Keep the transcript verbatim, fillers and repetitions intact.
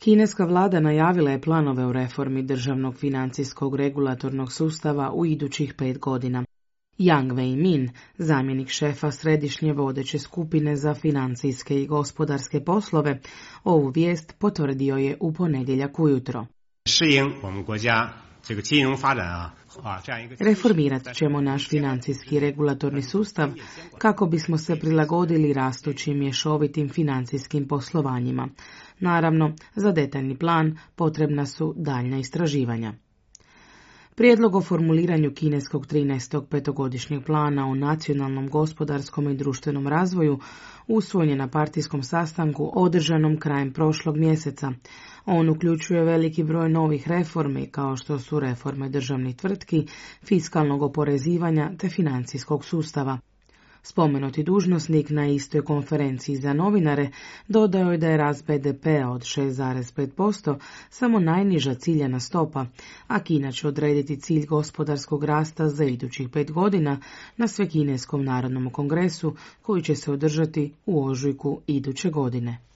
Kineska vlada najavila je planove u reformi državnog financijskog regulatornog sustava u idućih pet godina. Yang Wei-min, zamjenik šefa središnje vodeće skupine za financijske i gospodarske poslove, ovu vijest potvrdio je u ponedjeljak ujutro. Reformirat ćemo naš financijski regulatorni sustav kako bismo se prilagodili rastućim mješovitim financijskim poslovanjima. Naravno, za detaljni plan potrebna su daljnja istraživanja. Prijedlog o formuliranju kineskog trinaestog petogodišnjeg plana o nacionalnom gospodarskom i društvenom razvoju usvojen je na partijskom sastanku održanom krajem prošlog mjeseca. On uključuje veliki broj novih reformi kao što su reforme državnih tvrtki, fiskalnog oporezivanja te financijskog sustava. Spomenuti dužnosnik na istoj konferenciji za novinare dodao je da je rast be de pea od šest zarez pet posto samo najniža ciljana stopa, a Kina će odrediti cilj gospodarskog rasta za idućih pet godina na Svekineskom narodnom kongresu koji će se održati u ožujku iduće godine.